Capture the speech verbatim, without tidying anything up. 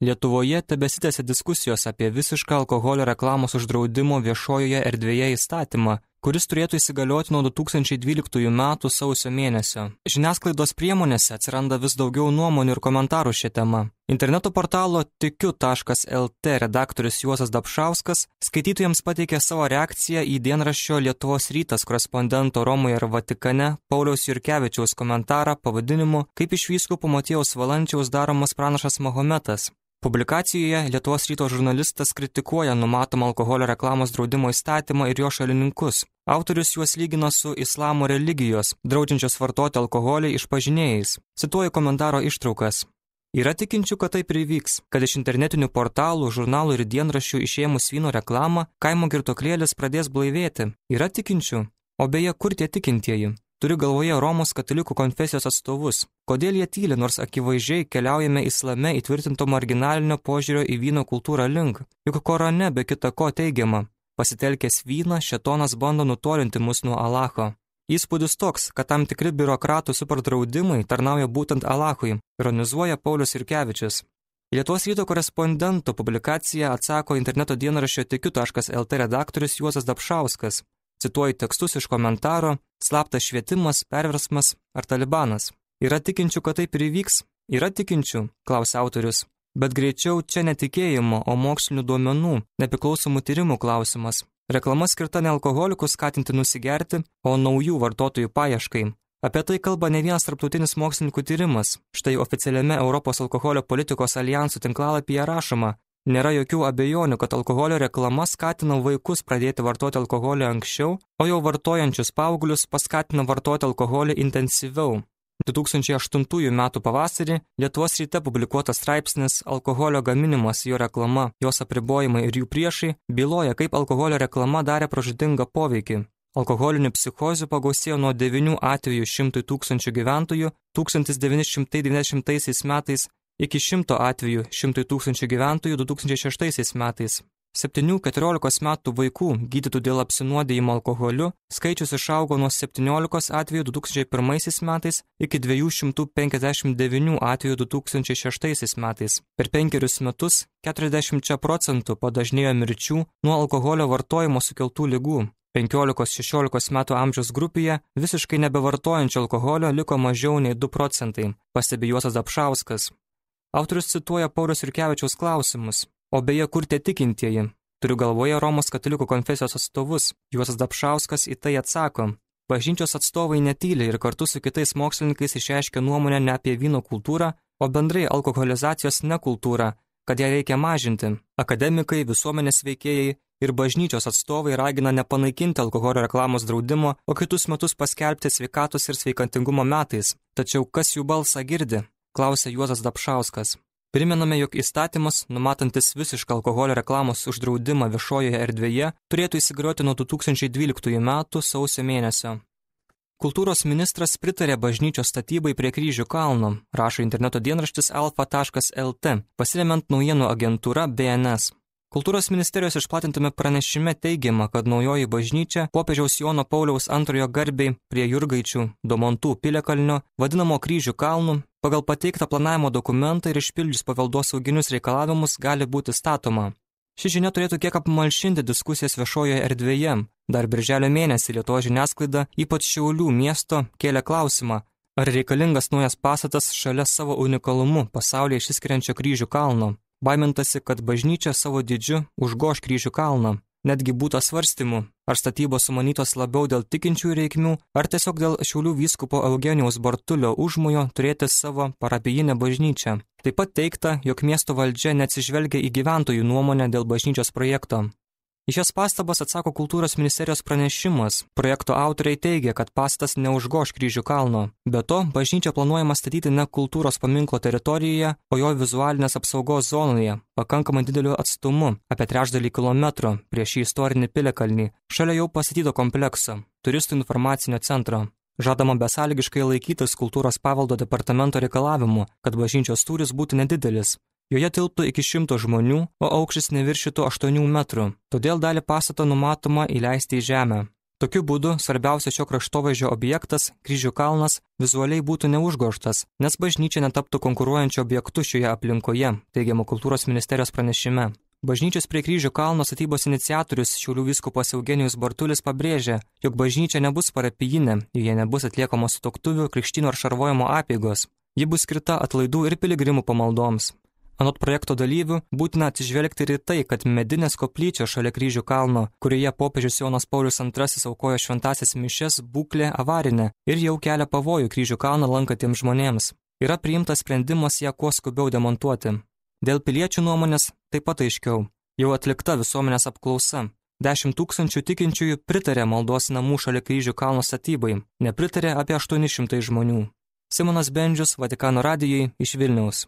Lietuvoje tebesitęsia diskusijos apie visišką alkoholio reklamos uždraudimo viešojoje erdvėje įstatymą, kuris turėtų įsigalioti nuo du tūkstančiai dvyliktųjų metų sausio mėnesio. Žiniasklaidos priemonėse atsiranda vis daugiau nuomonių ir komentarų šią temą. Interneto portalo tikiu taškas el tė redaktorius Juozas Dapšauskas skaitytojams pateikė savo reakciją į dienraščio Lietuvos rytas korespondento Romoje ir Vatikane Pauliaus Jurkevičiaus komentarą pavadinimu Kaip iš vyskupo Motiejaus Valančiaus daromas pranašas Mahometas. Publikacijoje Lietuvos ryto žurnalistas kritikuoja numatomą alkoholio reklamos draudimo įstatymą ir jo šalininkus. Autorius juos lygina su islamo religijos, draudžiančios vartoti alkoholį išpažinėjais. Cituoju komentaro ištraukas. Yra tikinčių, kad taip ir įvyks, kad iš internetinių portalų, žurnalų ir dienraščių išėmus vyno reklamą, kaimo girtuoklėlis pradės blaivėti. Yra tikinčių. O beje, kur tie tikintieji? Turiu galvoje Romos katalikų konfesijos atstovus. Kodėl jie tyli, nors akivaizdžiai keliaujame islame įtvirtinto marginalinio požiūrio į vyno kultūrą link? Juk Korane be kita ko teigiama. Pasitelkęs vyną, šėtonas bando nutolinti mus nuo Alacho. Įspūdis toks, kad tam tikri biurokratų superdraudimai tarnauja būtent Alachui, ironizuoja Paulius Jurkevičius. Lietuvos ryto korespondento publikaciją atsako interneto dienraščio tikiu taškas el tė redaktorius Juozas Dapšauskas. Cituoju tekstus iš komentaro, slaptas švietimas, perversmas ar talibanas. Yra tikinčių, kad taip ir įvyks? Yra tikinčių, klausia autorius. Bet greičiau čia netikėjimo, o mokslinių duomenų, nepriklausomų tyrimų klausimas. Reklama skirta ne alkoholikus skatinti nusigerti, o naujų vartotojų paieškai. Apie tai kalba ne vienas tarptautinis mokslininkų tyrimas. Štai oficialiame Europos alkoholio politikos alijansų tinklalapyje rašoma, nėra jokių abejonių, kad alkoholio reklama skatina vaikus pradėti vartoti alkoholį anksčiau, o jau vartojančius paauglius paskatina vartoti alkoholį intensyviau. du tūkstančiai aštuntųjų metų pavasarį Lietuvos ryte publikuotas straipsnis Alkoholio gaminimas, jo reklama, jos apribojimai ir jų priešai byloja, kaip alkoholio reklama darė pražūtingą poveikį. Alkoholinių psichozių pagausėjo nuo devynių atvejų šimtui tūkstančių gyventojų tūkstantis devyni šimtai devyniasdešimtaisiais metais iki šimto atvejų šimtui tūkstančių gyventojų du tūkstančiai šeštaisiais metais. septynių keturiolikos metų vaikų gydytų dėl apsinuodijimo alkoholiu skaičius išaugo nuo septyniolikos atvejų du tūkstančiai pirmaisiais metais iki dviejų šimtų penkiasdešimt devynių atvejų du tūkstančiai šeštaisiais metais. Per penkerius metus keturiasdešimt procentų padažnėjo mirčių nuo alkoholio vartojimo sukeltų ligų. penkiolikos šešiolikos metų amžiaus grupėje visiškai nebevartojančio alkoholio liko mažiau nei du procentai, pastebi Juozas Dapšauskas. Autorius cituoja Pauliaus Jurkevičiaus klausimus. O beje, kur tie tikintieji? Turiu galvoje Romos katalikų konfesijos atstovus. Juozas Dapšauskas į tai atsako. Bažnyčios atstovai netyli ir kartu su kitais mokslininkais išreiškia nuomonę ne apie vyno kultūrą, o bendrai alkoholizacijos nekultūrą, kad ją reikia mažinti. Akademikai, visuomenės veikėjai ir bažnyčios atstovai ragina nepanaikinti alkoholio reklamos draudimo, o kitus metus paskelbti sveikatos ir sveikantingumo metais. Tačiau kas jų balsą girdi? Klausia Juozas Dapšauskas. Primename, jog įstatymas, numatantis visišką alkoholio reklamos uždraudimą viešojoje erdvėje, turėtų įsigalioti nuo du tūkstančiai dvyliktųjų metų sausio mėnesio. Kultūros ministras pritarė bažnyčios statybai prie Kryžių kalno, rašo interneto dienraštis alfa taškas el tė, pasiremiant naujienų agentūra B N S. Kultūros ministerijos išplatintame pranešime teigiama, kad naujoji bažnyčia popiežiaus Jono Pauliaus antrojo garbei prie Jurgaičių, Domontų piliakalnio, vadinamo Kryžių kalnų, pagal pateiktą planavimo dokumentą ir išpildžius paveldosauginius reikalavimus gali būti statoma. Ši žinia turėtų kiek apmalšinti diskusijas viešojoje erdvėje. Dar birželio mėnesį Lietuvos žiniasklaida, ypač Šiaulių miesto, kėlė klausimą, ar reikalingas naujas pastatas šalia savo unikalumu pasaulyje išsiskiriančio Kryžių kalno. Baimintasi, kad bažnyčia savo dydžiu užgoš Kryžių kalną. Netgi būta svarstymų, ar statybos sumanytos labiau dėl tikinčiųjų reikmių, ar tiesiog dėl Šiaulių vyskupo Eugenijaus Bartulio užmojo turėti savo parapijinę bažnyčią. Taip pat teigta, jog miesto valdžia neatsižvelgia į gyventojų nuomonę dėl bažnyčios projekto. Į šias pastabas atsako kultūros ministerijos pranešimas. Projekto autoriai teigia, kad pastatas neužgoš Kryžių kalno. Be to, bažnyčia planuojama statyti ne kultūros paminklo teritorijoje, o jo vizualinės apsaugos zonoje, pakankamai dideliu atstumu, apie trečdalį kilometro, prieš šį istorinį piliakalnį, šalia jau pastatyto komplekso, turistų informacinio centro. Žadama besąlygiškai laikytis kultūros paveldo departamento reikalavimu, kad bažnyčios tūris būtų nedidelis. Joje tilptų iki šimto žmonių, o aukštis neviršytų aštuonių metrų. Todėl dalį pastato numatoma įleisti į žemę. Tokiu būdu svarbiausias šio kraštovaizdžio objektas, Kryžių kalnas, vizualiai būtų neužgožtas, nes bažnyčia netaptų konkuruojančio objektu šioje aplinkoje, teigiama Kultūros ministerijos pranešime. Bažnyčios prie Kryžių kalno statybos iniciatorius Šiaulių vyskupas Eugenijus Bartulis pabrėžė, jog bažnyčia nebus parapijinė, joje nebus atliekamos sutuoktuvių, krikštyno ar šarvojimo apeigos. Ji bus skirta atlaidų ir piligrimų pamaldoms. Anot projekto dalyvių, būtina atsižvelgti ir į tai, kad medinės koplyčios šalia Kryžių kalno, kurioje popiežius Jonas Paulius antrasis aukojo šventąsias mišias, būklė avarinė ir jau kelia pavojų Kryžių kalną lankantiems žmonėms. Yra priimtas sprendimas ją kuo skubiau demontuoti. Dėl piliečių nuomonės taip pat aiškiau. Jau atlikta visuomenės apklausa. Dešimt tūkstančių tikinčiųjų pritarė maldos namų šalia Kryžių kalno statybai, nepritarė apie aštuoni šimtai žmonių. Simonas Bendžius, Vatikano radijui iš Vilniaus.